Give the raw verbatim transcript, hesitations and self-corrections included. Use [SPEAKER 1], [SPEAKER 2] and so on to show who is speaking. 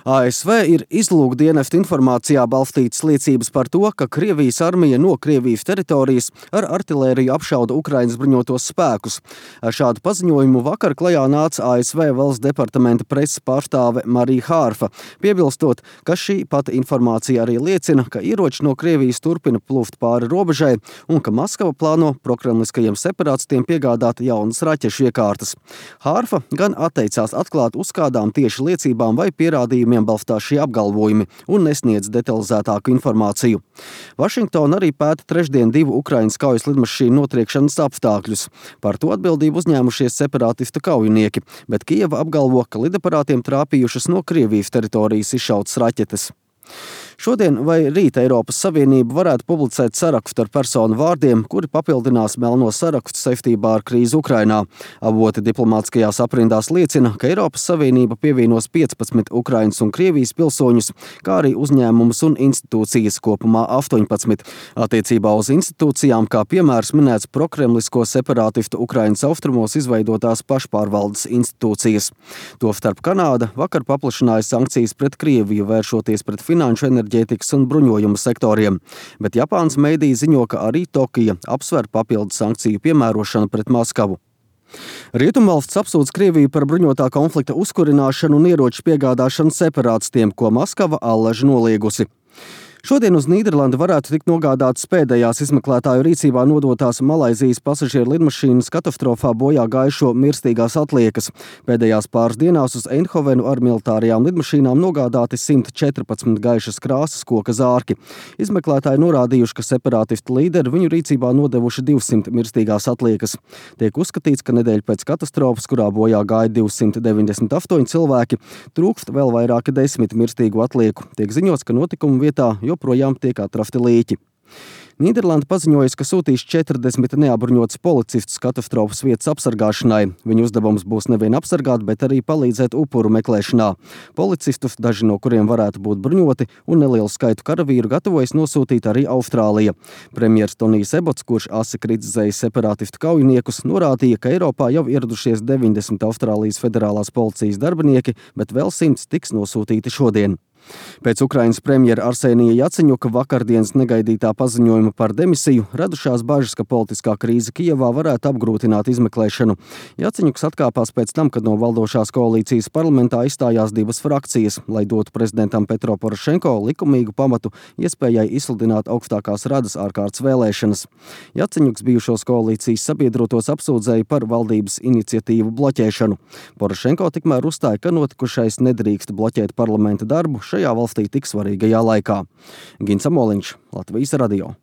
[SPEAKER 1] A S V ir izlūkdienestu informācijā balstītas liecības par to, ka Krievijas armija no Krievijas teritorijas ar artilēriju apšauda Ukrainas bruņotos spēkus. Ar šādu paziņojumu vakar klajā nāca A S V valsts departamenta preses pārstāve Marija Hārfa, piebilstot, ka šī pati informācija arī liecina, ka ieroči no Krievijas turpina plūst pāri robežai un ka Maskava plāno prokremliskajiem separātistiem piegādāt jaunas raķešu iekārtas. Hārfa gan atteicās atklāt, uz kādām tieši liecībām vai pierādījumiem balstās šie apgalvojumi un nesniedz detalizētāku informāciju. Vašingtona arī pēta trešdien divu Ukrainas kaujas lidmašīnu notriekšanas apstākļus. Par to atbildību uzņēmušies separātistu kaujinieki, bet Kijeva apgalvo, ka lidaparātiem trāpījušas no Krievijas teritorijas izšautas raķetes. Šodien vai rīt Eiropas Savienība varētu publicēt sarakstu ar personu vārdiem, kuri papildinās melno sarakstu saistībā ar krīzi Ukrainā. Avoti diplomātiskajās aprindās liecina, ka Eiropas Savienība pievienos piecpadsmit Ukrainas un Krievijas pilsoņus, kā arī uzņēmumus un institūcijas, kopumā astoņpadsmit. Attiecībā uz institūcijām, kā piemērs minēts prokremlisko separātistu Ukrainas austrumos izveidotās pašpārvaldes institūcijas. Tostarp Kanāda vakar paplašināja sankcijas pret Krieviju, vēršoties pret finanšu, enerģētikas un bruņojumu sektoriem, bet Japānas meidī ziņo, ka arī Tokija apsver papildu sankciju piemērošanu pret Maskavu. Rietumvalsts apsūdz Krieviju par bruņotā konflikta uzkurināšanu un ieroču piegādāšanu separātistiem, ko Maskava allaži noliegusi. Šodien uz Nīderlandi varētu tikt nogādātas pēdējās izmeklētāju rīcībā nodotās Malaizijas pasažieru lidmašīnas katastrofā bojā gājušo mirstīgās atliekas. Pēdējās pāris dienās uz Eindhovenu ar militārajām lidmašīnām nogādāti simt četrpadsmit gaišas krāsas koka zārki. Izmeklētāji norādījuši, ka separātistu līderi viņu rīcībā nodevuši divsimt mirstīgās atliekas. Tiek uzskatīts, ka nedēļa pēc katastrofas, kurā bojā gāja divsimt deviņdesmit astoņi cilvēki, trūkst vēl vairāki desmit mirstīgu atlieku. Tiek ziņots, ka notikumu vietā joprojām tiek atrasti līķi. Nīderlanda paziņojusi, ka sūtīs četrdesmit neapbruņotus policistus katastrofas vietas apsargāšanai. Viņu uzdevums būs nevien apsargāt, bet arī palīdzēt upuru meklēšanā. Policistus, daži no kuriem varētu būt bruņoti, un nelielu skaitu karavīru gatavojas nosūtīt arī Austrālija. Premjers Tonijs Ebots, kurš asi kritizējis separātistu kaujiniekus, norādīja, ka Eiropā jau ieradušies deviņdesmit Austrālijas federālās policijas darbinieki, bet vēl simts tiks nosūtīti šodien. Pēc Ukrainas premjera Arsenija Jaceņuka vakardienas negaidītā paziņojuma par demisiju radušās bažas, ka politiskā krīze Kijevā varētu apgrūtināt izmeklēšanu. Jaceņuks atkāpās pēc tam, kad no valdošās koalīcijas parlamentā izstājās divas frakcijas, lai dotu prezidentam Petro Porošenko likumīgu pamatu iespējai izsludināt augstākās radas ārkārtas vēlēšanas. Jaceņuks bijušos koalīcijas sabiedrotos apsūdzēja par valdības iniciatīvu bloķēšanu. Porošenko tikmēr uzstāja, ka notikušais nedrīkst bloķēt parlamenta darbu šajā valstī tik svarīgajā laikā. Gins Amoliņš, Latvijas radio.